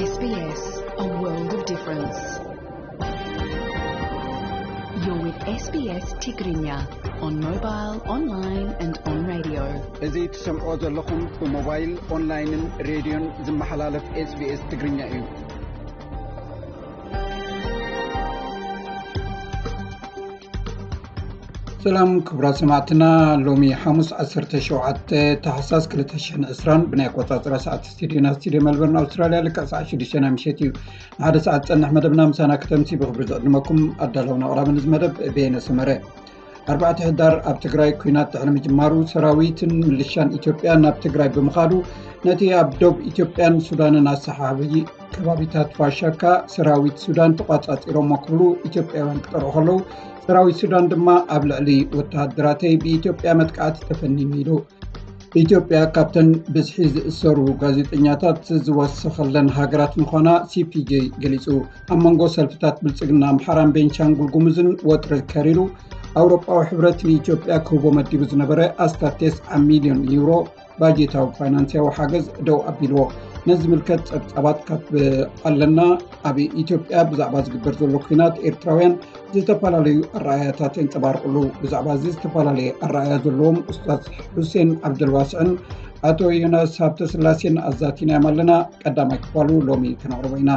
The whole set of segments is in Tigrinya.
S B S, a world of difference. You're with S B S Tigrinya on mobile, online and on radio. እዚ ትሰምዕዎ ዘለኹም ብሞባይል፣ ኦንላይንን ሬድዮን ዝመሓላለፍ S B S ትግርኛ እዩ። ሰላም ክቡራት ሰማዕትና፣ ሎሚ ሓሙስ ዓሰርተ ሸውዓተ ታሕሳስ ክልተ ሽሕን ዕስራን ብናይ ኣቆጻጽራ ሰዓት ስቱዲዮና፣ ስቱዲዮ መልበርን ኣውስትራልያ፣ ልክዕ ሰዓት ሽዱሽተ ናይ ምሸት እዩ። ንሓደ ሰዓት ዝጸንሕ መደብና ምሳና ክተምሲ ብኽብሪ ዝዕድመኩም ኣዳለውን ኣቕራብን እዚ መደብ በየነ ሰመረ። ኣርባዕተ ሕዳር ኣብ ትግራይ ኲናት ድሕሪ ምጅማሩ ሰራዊትን ምልሻን ኢትዮጵያ ናብ ትግራይ ብምኻዱ ነቲ ኣብ ዶብ ኢትዮጵያን ሱዳንን ኣሰሓቢ ከባቢታት ፋሻካ ሰራዊት ሱዳን ተቋጻጺሮሞ ክብሉ ኢትዮጵያውያን ክጠርዑ ከለዉ፣ ሰራዊት ሱዳን ድማ ኣብ ልዕሊ ወተሃደራተይ ብኢትዮጵያ መጥቃዕቲ ተፈኒኑ ኢሉ። ኢትዮጵያ ካብተን ብዝሒ ዝእሰሩ ጋዜጠኛታት ዝወሰኸለን ሃገራት ምዃና C P J ገሊጹ። ኣብ መንጎ ሰልፍታት ብልጽግና ኣምሓራን ቤንሻንጉል ጉሙዝን ወጥሪ ከሪሩ፣ ኣውሮጳዊ ሕብረት ንኢትዮጵያ ክህቦ መዲቡ ዝነበረ ኣስታት ተስዓ ሚልዮን ዩሮ ባጀታዊ ፋይናንስያዊ ሓገዝ ደው ኣቢልዎ። ነዚ ዝምልከት ጸብጻባት ካብ ኣለና። ኣብ ኢትዮጵያ ብዛዕባ ዝግበር ዘሎ ኲናት ኤርትራውያን ዝተፈላለዩ ኣረኣእያታት የንጸባርቑሉ። ብዛዕባ እዚ ዝተፈላለየ ኣረኣእያ ዘለዎም ኡስታዝ ሑሴን ዓብደልዋስዕን ኣቶ ዮናስ ሃብተስላሴን ኣዛቲናዮም ኣለና። ቀዳማይ ክፋሉ ሎሚ ክነቕርቦ ኢና።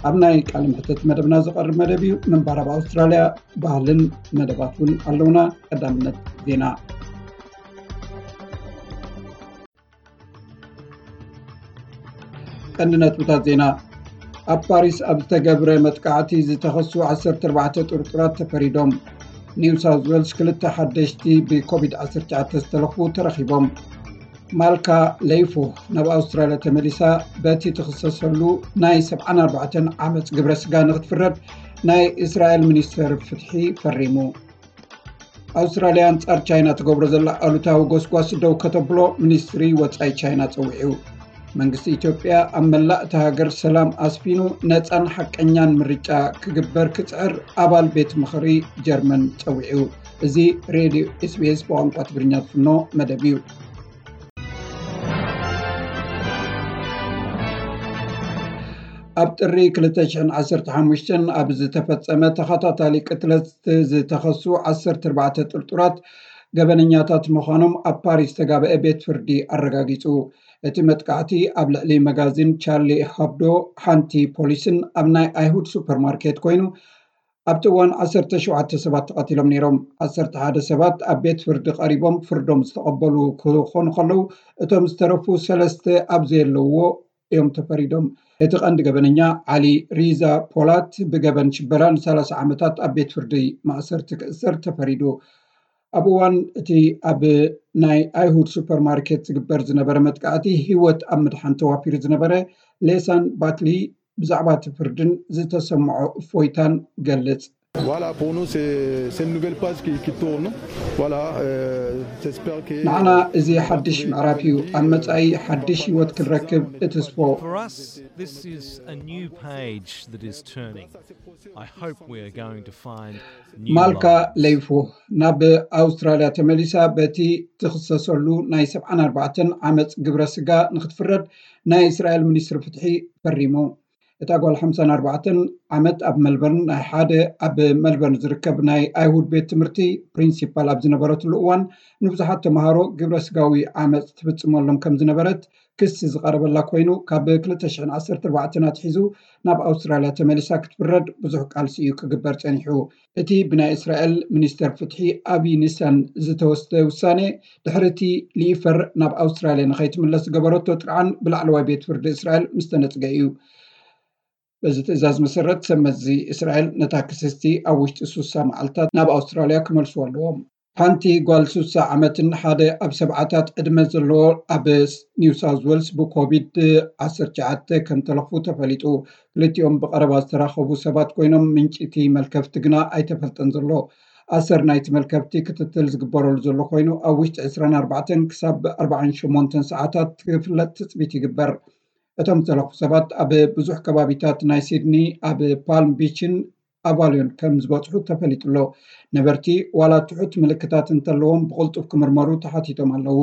ኣብ ናይ ቃለ መሕትት መደብና ዝቐርብ መደብ እዩ። ምንባር ኣብ ኣውስትራልያ ባህልን መደባት እውን ኣለውና። ቀዳምነት ዜና። ቀንዲ ነጥብታት ዜና። ኣብ ፓሪስ ኣብ ዝተገብረ መጥቃዕቲ ዝተኸሱ ዓሰርተ ኣርባዕተ ጥርጡራት ተፈሪዶም። ኒው ሳውዝ ዌልስ ክልተ ሓደሽቲ ብኮቪድ ዓሰርተ ትሽዓተ ዝተለኽፉ ተረኺቦም። ማልካ ለይፎ ናብ ኣውስትራልያ ተመሊሳ በቲ ትኽሰሰሉ ናይ ሰብዓን ኣርባዕተን ዓመጽ ግብረ ስጋ ንኽትፍረድ ናይ እስራኤል ሚኒስተር ፍትሒ ፈሪሙ። ኣውስትራልያ ኣንጻር ቻይና ትገብሮ ዘላ ኣሉታዊ ጎስጓስ ደው ከተብሎ ሚኒስትሪ ወጻኢ ቻይና ጸዊዑ። መንግስቲ ኢትዮጵያ ኣብ መላእ እታ ሃገር ሰላም ኣስፊኑ ነጻን ሓቀኛን ምርጫ ክግበር ክጽዕር ኣባል ቤት ምኽሪ ጀርመን ጸዊዑ። እዚ ሬድዮ S B S ብቋንቋ ትግርኛ ዝፍኖ መደብ እዩ። ኣብ ጥሪ ክልተ ሽሕን ዓሰርተ ሓሙሽተን ኣብ ዝተፈጸመ ተኸታታሊ ቅትለት ዝተኸሱ ዓሰርተ ኣርባዕተ ጥርጡራት ገበነኛታት ምዃኖም ኣብ ፓሪስ ዝተጋብአ ቤት ፍርዲ ኣረጋጊጹ። እቲ መጥቃዕቲ ኣብ ልዕሊ መጋዚን ቻርሊ ሀብዶ፣ ሓንቲ ፖሊስን ኣብ ናይ ኣይሁድ ሱፐርማርኬት ኮይኑ፣ ኣብቲ እዋን ዓሰርተ ሸውዓተ ሰባት ተቐቲሎም ነይሮም። ዓሰርተ ሓደ ሰባት ኣብ ቤት ፍርዲ ቀሪቦም ፍርዶም ዝተቐበሉ ክኾኑ ከለዉ፣ እቶም ዝተረፉ ሰለስተ ኣብ ዘየለውዎ እዮም ተፈሪዶም። እቲ ቀንዲ ገበነኛ ዓሊ ሪዛ ፖላት ብገበን ሽበራ ንሰላሳ ዓመታት ኣብ ቤት ፍርዲ ማእሰርቲ ክእሰር ተፈሪዱ። ኣብ እዋን እቲ ኣብ ናይ ኣይሁድ ሱፐርማርኬት ዝግበር ዝነበረ መጥቃዕቲ ህይወት ኣብ ምድሓን ተዋፊሩ ዝነበረ ሌሳን ባትሊ ብዛዕባ እቲ ፍርድን ዝተሰምዖ እፎይታን ገልጽ። Voilà, pour nous, c'est c'est une nouvelle page qui, qui tourne. Voilà, euh, j'espère que. ንዓና እዚ ሓድሽ ምዕራፍ እዩ። ኣብ መጻኢ ሓድሽ ህይወት ክንረክብ እትስፎ። For us, this is a new page that is turning. I hope we are going to find new ማልካ lines. ለይፎ ናብ ኣውስትራልያ ተመሊሳ በቲ ትኽሰሰሉ ናይ ሰብዓን ኣርባዕተን ዓመፅ ግብረ ስጋ ንክትፍረድ ናይ እስራኤል ሚኒስትሪ ፍትሒ ፈሪሙ። እታ ጓል ሓምሳን ኣርባዕተን ዓመት ኣብ መልበርን ናይ ሓደ ኣብ መልበርን ዝርከብ ናይ ኣይሁድ ቤት ትምህርቲ ፕሪንሲፓል ኣብ ዝነበረትሉ እዋን ንብዙሓት ተምሃሮ ግብረ ስጋዊ ዓመፅ ትፍፅመሎም ከም ዝነበረት ክሲ ዝቐረበላ ኮይኑ ካብ ክልተ ሽሕን ዓሰርተ ኣርባዕተን ኣትሒዙ ናብ ኣውስትራልያ ተመሊሳ ክትፍረድ ብዙሕ ቃልሲ እዩ ክግበር ፀኒሑ። እቲ ብናይ እስራኤል ሚኒስተር ፍትሒ ኣቢ ኒሳን ዝተወስደ ውሳኔ ድሕሪ እቲ ሊኢፈር ናብ ኣውስትራልያ ንኸይትምለስ ዝገበረቶ ጥርዓን ብላዕለዋይ ቤት ፍርዲ እስራኤል ምስ ተነጽገ እዩ። በዚ ትእዛዝ መሰረት ሰብ መዚ እስራኤል ነታ ክስስቲ ኣብ ውሽጢ ሱሳ መዓልታት ናብ ኣውስትራልያ ክመልስዎ ኣለዎም። ሓንቲ ጓል ሱሳ ዓመትን ሓደ ኣብ ሰብዓታት ዕድመ ዘለዎ ኣብ ኒው ሳውዝ ዌልስ ብኮቪድ ዓሰርተ ትሽዓተ ከም ተለኽፉ ተፈሊጡ። ክልቲኦም ብቐረባ ዝተራኸቡ ሰባት ኮይኖም ምንጪ እቲ መልከፍቲ ግና ኣይተፈልጠን ዘሎ። ኣሰር ናይቲ መልከፍቲ ክትትል ዝግበረሉ ዘሎ ኮይኑ ኣብ ውሽጢ ዕስራን ኣርባዕተን ክሳብ ኣርባዓን ሸሞንተን ሰዓታት ክፍለጥ ትፅቢት ይግበር። እቶም ዝተለኽፉ ሰባት ኣብ ብዙሕ ከባቢታት ናይ ሲድኒ ኣብ ፓልም ቢችን ኣቫልዮን ከም ዝበፅሑ ተፈሊጡ ኣሎ። ነበርቲ ዋላ ትሑት ምልክታት እንተለዎም ብቕልጡፍ ክምርመሩ ተሓቲቶም ኣለዉ።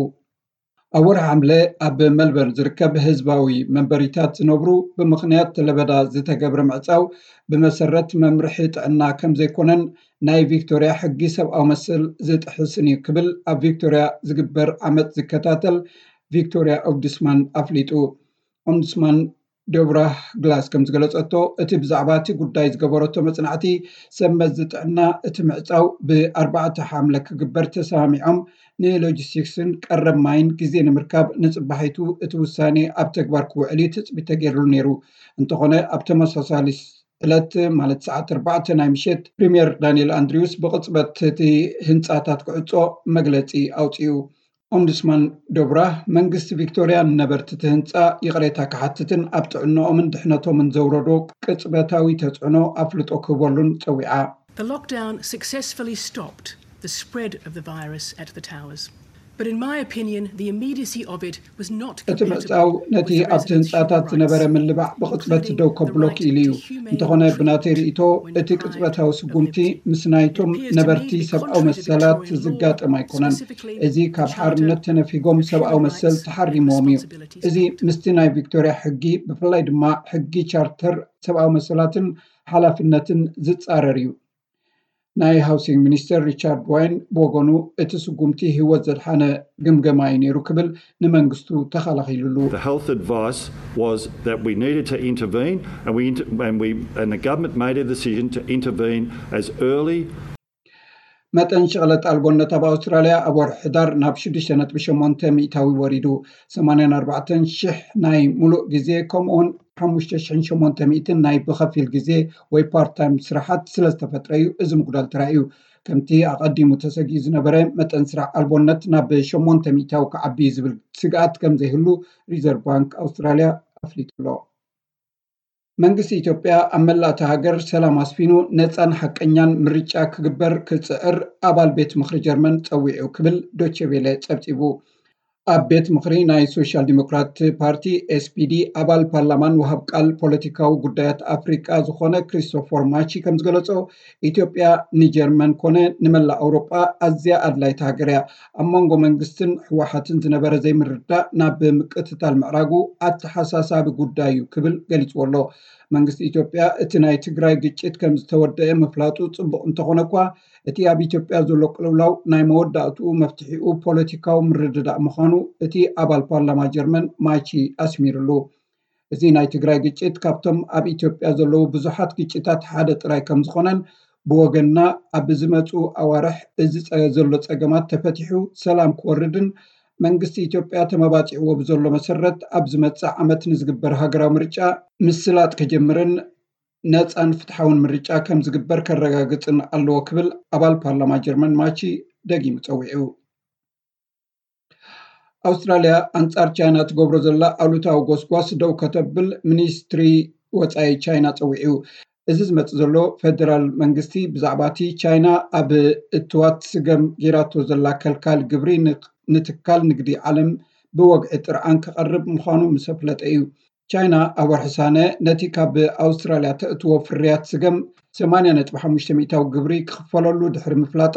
ኣብ ወርሒ ሓምለ ኣብ መልበርን ዝርከብ ህዝባዊ መንበሪታት ዝነብሩ ብምኽንያት ለበዳ ዝተገብረ ምዕጻው ብመሰረት መምርሒ ጥዕና ከም ዘይኮነን ናይ ቪክቶርያ ሕጊ ሰብኣዊ መሰል ዝጥሕስን እዩ ክብል ኣብ ቪክቶርያ ዝግበር ዓመጽ ዝከታተል ቪክቶርያ ኦምቡድስማን ኣፍሊጡ። ኦምቡድስማን ዶብራ ግላስ ከም ዝገለጸቶ፣ እቲ ብዛዕባ እቲ ጉዳይ ዝገበረቶ መጽናዕቲ ሰብ መዚ ጥዕና እቲ ምዕጻው ብኣርባዕተ ሓምለ ክግበር ተሰማሚዖም ንሎጂስቲክስን ቀረብ ማይን ግዜ ንምርካብ ንጽባሒቱ እቲ ውሳኔ ኣብ ተግባር ክውዕል እዩ ትጽቢት ተገይሩሉ ነይሩ። እንተኾነ ኣብ ተመሳሳሊ ዕለት ማለት ሰዓት ኣርባዕተ ናይ ምሸት ፕሪምየር ዳንኤል ኣንድሪውስ ብቕጽበት እቲ ህንጻታት ክዕጾ መግለጺ ኣውጺኡ። ኦምቡድስማን ዶብራ መንግስቲ ቪክቶርያ ንነበርቲ እቲ ህንጻ ይቕሬታ ክሓትትን ኣብ ጥዕንኦምን ድሕነቶምን ዘውረዶ ቅጽበታዊ ተጽዕኖ ኣፍልጦ ክህበሉን ጸዊዓ። The lockdown successfully stopped the spread of the virus at the towers. But in my opinion, the immediacy of it was not እቲ ምዕጻው ነቲ ኣብቲ ህንጻታት ዝነበረ ምልባዕ ብቕጽበት ደው ከብሎ ክኢሉ እዩ። እንተኾነ ብናተይ ርእይቶ እቲ ቅጽበታዊ ስጉምቲ ምስ ናይቶም ነበርቲ ሰብኣዊ መሰላት ዝጋጠም ኣይኮነን። እዚ ካብ ሓርነት ተነፊጎም ሰብኣዊ መሰል ተሓሪምዎም እዩ። እዚ ምስቲ ናይ ቪክቶርያ ሕጊ ብፍላይ ድማ ሕጊ ቻርተር ሰብኣዊ መሰላትን ሓላፍነትን ዝጻረር እዩ። ናይ ሃውሲንግ ሚኒስተር ሪቻርድ ዋይን ብወገኑ እቲ ስጉምቲ ህይወት ዘድሓነ ግምገማ እዩ ነይሩ ክብል ንመንግስቱ ተኸላኺሉሉ። The health advice was that we needed to intervene and we and we and the government made a decision to intervene as early መጠን ሸቕለት ኣልቦነት ኣብ ኣውስትራልያ ኣብ ወርሒ ሕዳር ናብ ሽዱሽተ ነጥቢ ሸሞንተ ሚእታዊ ወሪዱ። ሰማንያን ኣርባዕተን ሽሕ ናይ ሙሉእ ግዜ ከምኡውን ሓሙሽተ ሽሕን ሸሞንተ ሚእትን ናይ ብኸፊል ግዜ ወይ ፓርት ታይም ስራሓት ስለ ዝተፈጥረ እዩ እዚ ምጉዳል ተራእዩ። ከምቲ ኣቐዲሙ ተሰጊኡ ዝነበረ መጠን ስራሕ ኣልቦነት ናብ ሸሞንተ ሚእታዊ ክዓቢ እዩ ዝብል ስግኣት ከም ዘይህሉ ሪዘርቭ ባንክ ኣውስትራልያ ኣፍሊጡ ኣሎ። መንግስቲ ኢትዮጵያ ኣብ መላእ እታ ሃገር ሰላም ኣስፊኑ ነፃን ሓቀኛን ምርጫ ክግበር ክፅዕር ኣባል ቤት ምኽሪ ጀርመን ፀዊዑ ክብል ዶቼ ቬለ ፀብፂቡ። ኣብ ቤት ምኽሪ ናይ ሶሻል ዲሞክራት ፓርቲ ኤስፒዲ ኣባል ፓርላማን ወሃብ ቃል ፖለቲካዊ ጉዳያት ኣፍሪቃ ዝኾነ ክሪስቶፈር ማቺ ከም ዝገለጾ፣ ኢትዮጵያ ንጀርመን ኮነ ንመላእ ኣውሮጳ ኣዝያ ኣድላይቲ ሃገር እያ። ኣብ መንጎ መንግስትን ህወሓትን ዝነበረ ዘይምርዳእ ናብ ምቅትታል ምዕራጉ ኣተሓሳሳቢ ጉዳይ እዩ ክብል ገሊፅዎ ኣሎ። መንግስቲ ኢትዮጵያ እቲ ናይ ትግራይ ግጭት ከም ዝተወደአ ምፍላጡ ፅቡቕ እንተኾነ እኳ፣ እቲ ኣብ ኢትዮጵያ ዘሎ ቅልውላው ናይ መወዳእትኡ መፍትሒኡ ፖለቲካዊ ምርድዳእ ምዃኑ እቲ ኣባል ፓርላማ ጀርመን ማቺ ኣስሚሩሉ። እዚ ናይ ትግራይ ግጭት ካብቶም ኣብ ኢትዮጵያ ዘለዉ ብዙሓት ግጭታት ሓደ ጥራይ ከም ዝኾነን ብወገንና ኣብ ዝመፁ ኣዋርሕ እዚ ዘሎ ፀገማት ተፈቲሑ ሰላም ክወርድን መንግስቲ ኢትዮጵያ ተመባፂዕዎ ብዘሎ መሰረት ኣብ ዝመፅእ ዓመት ንዝግበር ሃገራዊ ምርጫ ምስላጥ ክጅምርን ነፃን ፍትሓውን ምርጫ ከም ዝግበር ከረጋግፅን ኣለዎ ክብል ኣባል ፓርላማ ጀርመን ማቺ ደጊሙ ፀዊዑ። ኣውስትራልያ ኣንጻር ቻይና ትገብሮ ዘላ ኣሉታዊ ጎስጓስ ደው ከተብል ሚኒስትሪ ወጻኢ ቻይና ጸዊዑ። እዚ ዝመጽእ ዘሎ ፌደራል መንግስቲ ብዛዕባ እቲ ቻይና ኣብ እትዋት ስገም ጌራቶ ዘላ ከልካል ግብሪ ንትካል ንግዲ ዓለም ብወግዒ ጥርዓን ክቐርብ ምዃኑ ምስ ኣፍለጠ እዩ። ቻይና ኣብ ወርሒ ሳነ ነቲ ካብ ኣውስትራልያ ተእትዎ ፍርያት ስገም ሰማንያ ነጥቢ ሓሙሽተ ሚእታዊ ግብሪ ክኽፈለሉ ድሕሪ ምፍላጣ፣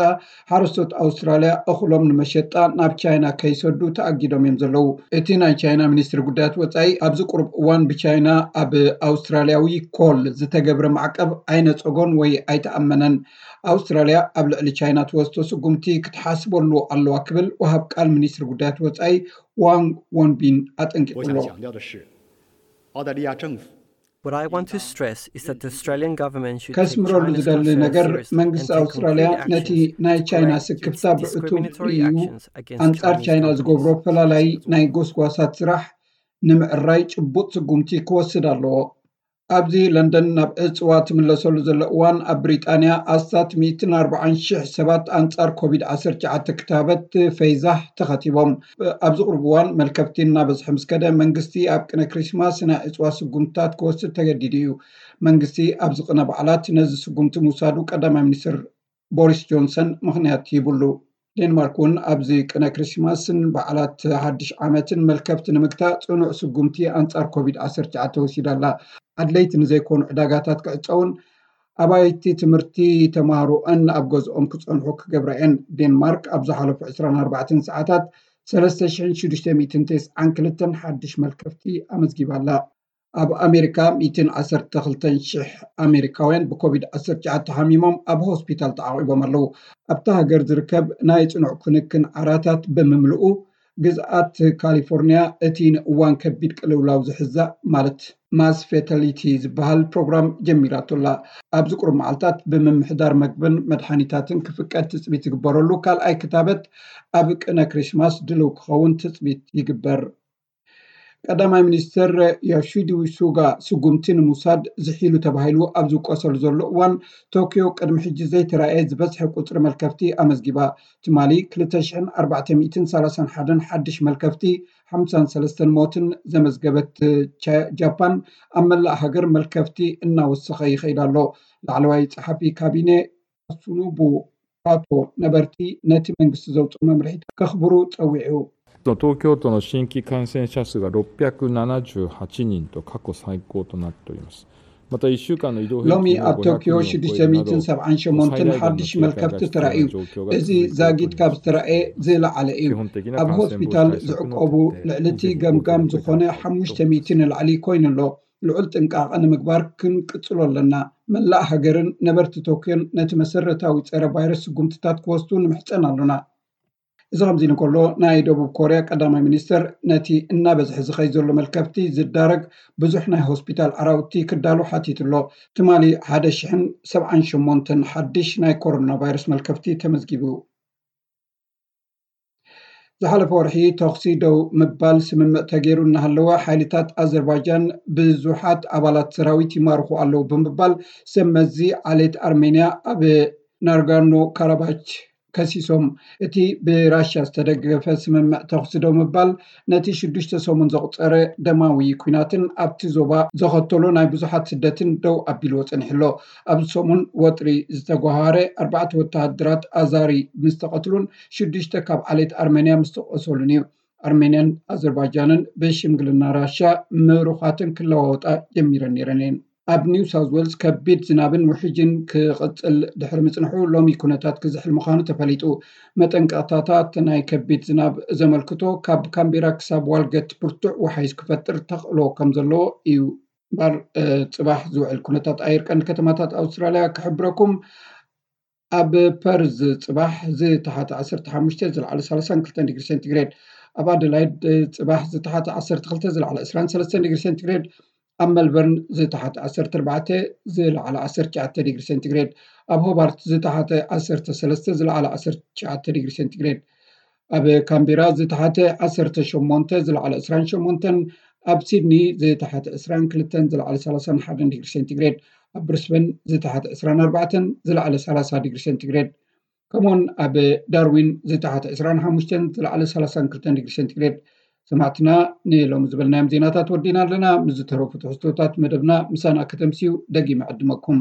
ሓረስቶት ኣውስትራልያ እኽሎም ንመሸጣ ናብ ቻይና ከይሰዱ ተኣጊዶም እዮም ዘለዉ። እቲ ናይ ቻይና ሚኒስትሪ ጉዳያት ወጻኢ ኣብዚ ቁሩብ እዋን ብቻይና ኣብ ኣውስትራልያዊ ኮል ዝተገብረ ማዕቀብ ኣይነጸጎን ወይ ኣይተኣመነን። ኣውስትራልያ ኣብ ልዕሊ ቻይና ትወስዶ ስጉምቲ ክትሓስበሉ ኣለዋ ክብል ወሃብ ቃል ሚኒስትሪ ጉዳያት ወጻኢ ዋንግ ወንቢን ኣጠንቂቑ ኣሎ። What I want to stress is that the Australian government should take ከስምረሉ China's ዝደሊ concerns ነገር seriously and መንግስቲ take ኣውስትራልያ concrete ነቲ actions ናይ to ቻይና correct its ስክፍታ ብዕቱብ discriminatory ርእዩ actions against ኣንጻር Chinese ቻይና ዝገብሮ companies. ፈላላይ ናይ ጎስጓሳት ስራሕ ንምዕራይ ጭቡጥ ስጉምቲ ክወስድ ኣለዎ። ኣብዚ ለንደን ናብ ዕፅዋ ትምለሰሉ ዘሎ እዋን ኣብ ብሪጣንያ ኣስታት ሚእትን ኣርባዓን ሽሕ ሰባት ኣንጻር ኮቪድ ዓሰርተ ትሽዓተ ክታበት ፈይዛ ተኸቲቦም። ኣብዚ ቁሩብ እዋን መልከፍቲ እናበዝሐ ምስ ከደ መንግስቲ ኣብ ቅነ ክሪስማስ ናይ ዕፅዋ ስጉምትታት ክወስድ ተገዲዱ እዩ። መንግስቲ ኣብዚ ቅነ በዓላት ነዚ ስጉምቲ ምውሳዱ ቀዳማይ ሚኒስትር ቦሪስ ጆንሰን ምኽንያት ሂቡሉ። ዴንማርክ እውን ኣብዚ ቅነ ክሪስማስን በዓላት ሓድሽ ዓመትን መልከፍቲ ንምግታእ ጽኑዕ ስጉምቲ ኣንጻር ኮቪድ ዓሰርተ ትሽዓተ ወሲዳ ኣላ። ኣድለይቲ ንዘይኮኑ ዕዳጋታት ክዕጸውን ኣባይቲ ትምህርቲ ተማሃሮኣን ኣብ ገዝኦም ክጸንሑ ክገብራ እየን። ዴንማርክ ኣብ ዝሓለፉ ዕስራን ኣርባዕተን ሰዓታት ሰለስተ ሽሕን ሽዱሽተ ሚእትን ተስዓን ክልተን ሓድሽ መልከፍቲ ኣመዝጊባ ኣላ። ኣብ ኣሜሪካ ሚእትን ዓሰርተ ክልተን ሽሕ ኣሜሪካውያን ብኮቪድ ዓሰርተ ትሽዓተ ሓሚሞም ኣብ ሆስፒታል ተዓቒቦም ኣለዉ። ኣብታ ሃገር ዝርከብ ናይ ጽኑዕ ክንክን ዓራታት ብምምልኡ፣ ግዝኣት ካሊፎርኒያ እቲ ንእዋን ከቢድ ቅልውላው ዝሕዛ ማለት ማስ ፌታሊቲ ዝበሃል ፕሮግራም ጀሚራቶ ኣላ። ኣብዚ ቁሩብ መዓልታት ብምምሕዳር መግብን መድሓኒታትን ክፍቀድ ትጽቢት ዝግበረሉ ካልኣይ ክታበት ኣብ ቅነ ክሪስማስ ድልው ክኸውን ትጽቢት ይግበር። ቀዳማይ ሚኒስትር ዮሺዲ ሱጋ ስጉምቲ ንምውሳድ ዝሒሉ ተባሂሉ ኣብ ዝውቀሰሉ ዘሎ እዋን፣ ቶኪዮ ቅድሚ ሕጂ ዘይተራእየ ዝበዝሐ ቁጽሪ መልከፍቲ ኣመዝጊባ። ትማሊ ክልተ ሽሕን ኣርባዕተ ሚእትን ሰላሳን ሓደን ሓድሽ መልከፍቲ፣ ሓምሳን ሰለስተን ሞትን ዘመዝገበት ቻ- ጃፓን፣ ኣብ መላእ ሃገር መልከፍቲ እናወሰኸ ይኸይድ ኣሎ። ላዕለዋይ ጸሓፊ ካቢነ ካሱኖቡ ካቶ፣ ነበርቲ ነቲ መንግስቲ ዘውፅኦ መምርሒታት ከኽብሩ ጸዊዑ። 東京都の新規感染者数がろっ百七十八人と過去最高となっております。また1週間の移動平 ሎሚ ኣብ ቶኪዮ ሽዱሽተ ሚእትን ሰብዓን ሸሞንተን ሓድሽ መልከፍቲ ተራእዩ። እዚ ዛጊት ካብ ዝተራእየ ዝለዓለ እዩ። ኣብ ሆስፒታል ዝዕቆቡ ልዕሊ እቲ ገምጋም ዝኾነ ሓሙሽተ ሚእቲ ንላዕሊ ኮይኑ ኣሎ። ልዑል ጥንቃቐ ንምግባር ክንቅጽሎ ኣለና። መላእ ሃገርን ነበርቲ ቶክዮን ነቲ መሰረታዊ ጸረ ቫይረስ ስጉምትታት ክወስዱ ንምሕጸን ኣሎና። እዚ ከምዚ ኢሉ እንከሎ፣ ናይ ደቡብ ኮርያ ቀዳማይ ሚኒስትር ነቲ እናበዝሐ ዝኸይ ዘሎ መልከፍቲ ዝዳረግ ብዙሕ ናይ ሆስፒታል ዓራውቲ ክዳሉ ሓቲቱ ኣሎ። ትማሊ ሓደ ሽሕን ሰብዓን ሸሞንተን ሓድሽ ናይ ኮሮና ቫይረስ መልከፍቲ ተመዝጊቡ። ዝሓለፈ ወርሒ ተኹሲ ደው ምባል ስምምዕ ተገይሩ እናሃለወ፣ ሓይልታት ኣዘርባይጃን ብዙሓት ኣባላት ሰራዊት ይማርኹ ኣለዉ ብምባል ሰብ መዚ ዓሌት ኣርሜንያ ኣብ ናርጋኖ ካራባች ከሲሶም። እቲ ብራሽያ ዝተደገፈ ስምምዕ ተኹሲ ደው ምባል ነቲ ሽዱሽተ ሰሙን ዘቑጸረ ደማዊ ኲናትን ኣብቲ ዞባ ዘኸተሎ ናይ ብዙሓት ስደትን ደው ኣቢልዎ ጸኒሑ ኣሎ። ኣብዚ ሰሙን ወጥሪ ዝተጓሃረ ኣርባዕተ ወተሃደራት ኣዛሪ ምስ ተቐትሉን ሽዱሽተ ካብ ዓሌት ኣርሜንያ ምስ ተቖሰሉን እዩ። ኣርሜንያን ኣዘርባይጃንን ብሽምግልና ራሽያ ምሩኻትን ክለዋወጣ ጀሚረን ነይረን እየን። ኣብ ኒው ሳውዝ ዌልስ ከቢድ ዝናብን ውሕጅን ክቕጽል ድሕሪ ምጽንሑ፣ ሎሚ ኩነታት ክዝሕል ምዃኑ ተፈሊጡ። መጠንቀቕታታት ናይ ከቢድ ዝናብ ዘመልክቶ ካብ ካምቤራ ክሳብ ዋልገት ብርቱዕ ወሓይዝ ክፈጥር ተኽእሎ ከም ዘለዎ እዩ። ባር ጽባሕ ዝውዕል ኩነታት ኣየር ቀንዲ ከተማታት ኣውስትራልያ ክሕብረኩም። ኣብ ፐርዝ ጽባሕ ዝተሓተ ዓሰርተ ሓሙሽተ፣ ዝለዓለ ሰላሳን ክልተን ዲግሪ ሴንቲግሬድ። ኣብ ኣደላይድ ጽባሕ ዝተሓተ ዓሰርተ ክልተ፣ ዝለዓለ ዕስራን ሰለስተን ዲግሪ ሴንቲግሬድ። ኣብ መልበርን ዝተሓተ ዓሰርተ ኣርባዕተ፣ ዝለዓለ ዓሰርተ ትሽዓተ ዲግሪ ሴንቲግሬድ። ኣብ ሆባርት ዝተሓተ ዓሰርተ ሰለስተ፣ ዝለዓለ ዓሰርተ ትሽዓተ ዲግሪ ሴንቲግሬድ። ኣብ ካምቤራ ዝተሓተ ዓሰርተ ሸሞንተ፣ ዝለዓለ ዕስራን ሸሞንተን። ኣብ ሲድኒ ዝተሓተ ዕስራን ክልተን፣ ዝለዓለ ሰላሳን ሓደን ዲግሪ ሴንቲግሬድ። ኣብ ብሪስበን ዝተሓተ ዕስራን ኣርባዕተን፣ ዝለዓለ ሰላሳ ዲግሪ ሴንቲግሬድ። ከምኡውን ኣብ ዳርዊን ዝተሓተ ዕስራን ሓሙሽተን፣ ዝለዓለ ሰላሳን ክልተን ዲግሪ ሴንቲግሬድ። ሰማዕትና፣ ንሎሚ ዝበልናዮም ዜናታት ወዲና ኣለና። ምስ ዝተረፉ ትሕዝቶታት መደብና ምሳና ከተምስዩ ደጊመ ዕድመኩም።